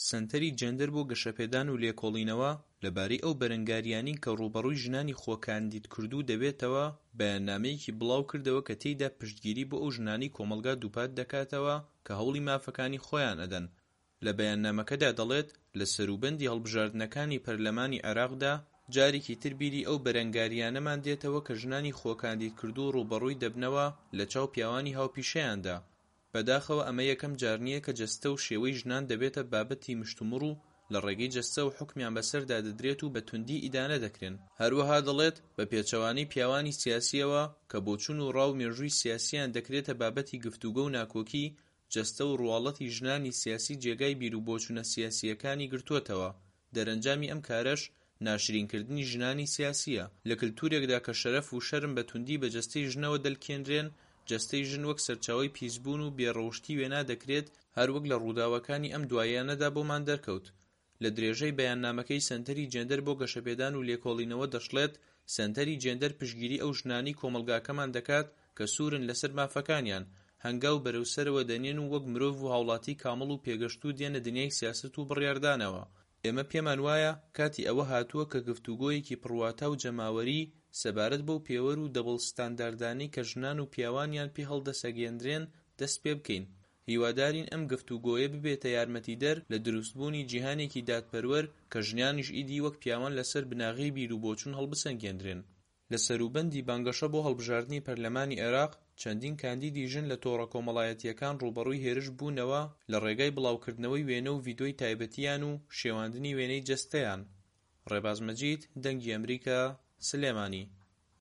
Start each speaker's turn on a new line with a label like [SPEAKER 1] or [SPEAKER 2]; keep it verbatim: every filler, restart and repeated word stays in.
[SPEAKER 1] سەنتەری جێندەر بۆ گەشەپێدان و لێکۆڵینەوە، لەبارەی ئەو بەرەنگاریانەی کە ڕووبەڕووی ژنانی خۆکاندیدکردوو دەبێتەوە بەیاننامەیەکی بڵاوکردەوە کە تێیدا پشتگیری بۆ ئەو ژنانەی کۆمەڵگا دووپات دەکاتەوە کە هەوڵی مافەکانی خۆیان ئەدەن. لە بەیاننامەکەدا دەڵێت لە سەروبەندی هەڵبژاردنەکانی پەرلەمانی عێراقدا، جارێکی تر بیری ئەو بەرەنگاریانەمان دێتەوە کە ژنانی خۆکاندیدکردوو ڕووبەڕووی دەبنەوە لە چاو پیاوانی هاوپیشەیاندا. بەداخەوە ئەمە یەکەم جار نییە کە جەستە و شێوەی ژنان دەبێتە بابەتی مشتومڕ و لە ڕێگەی جەستەوە حوکمیان بەسەردا دەدرێت و بە توندی ئیدانە دەکرێن. هەروەها دەڵێت بە پێچەوانەی پیاوانی سیاسیەوە کە بۆچوون و ڕا و مێژووی سیاسیان دەکرێتە بابەتی گفتوگۆ و ناکۆکی، جەستە و ڕواڵەتی ژنانی سیاسی جێگای بیروبۆچوونە سیاسیەکانی گرتووەتەوە، دەرەنجامی ئەم کارەش ناشرینکردنی ژنانی سیاسیە. لە کلتورێکدا کە شەرەف و شەرم بە توندی بە جەستەی ژنەوە دەلکێنرێن، جەستەی ژن وەک سەرچاوەی پیسبوون و بێ ڕەوشتی وێنا دەکرێت، هەروەک لە ڕووداوەکانی ئەم دواییانەدا بۆمان دەرکەوت. لە درێژەی بەیاننامەکەی سەنتەری جێندەر بۆ گەشەپێدان و لێکۆڵینەوە دەشڵێت سەنتەری جێندەر پشتگیری ئەو ژنانەی کۆمەڵگاکەمان دەکات کە سوورن لەسەر مافەکانیان، هەنگاو بەرەو سەرەوە دەنێن و وەک مرۆڤ و هاوڵاتی کامڵ و پێگەشتوو دێنە دنیای سیاسەت و بڕیاردانەوە. ئێمە پێمان وایە کاتی ئەوە هاتووە کە گفتوگۆیەکی پڕواتا و جەماوەری سەبارەت بەو پێوەر و دەبڵ ستانداردانەی کە ژنان و پیاوانیان پێ هەڵدەسەنگێنرێن دەست پێبکەین. هیوادارین ئەم گفتوگۆیە ببێتە یارمەتیدەر لە دروستبوونی جیهانێکی دادپەروەر کە ژنانیش ئیدی وەک پیاوان لەسەر بناغەی بیروبۆچوون هەڵبسەنگێنرێن. لە سەروبەندی بانگەشە بۆ هەڵبژاردنی پەرلەمانی عێراق، چەندین کاندیدی ژن لە تۆڕە کۆمەڵایەتیەکان ڕووبەڕووی هێرش بوونەوە لە ڕێگای بڵاوکردنەوەی وێنە و ڤیدیۆی تایبەتیان و شێواندنی وێنەی جەستەیان. ڕێباز مەجید، دەنگی ئەمریکا، سلێمانی.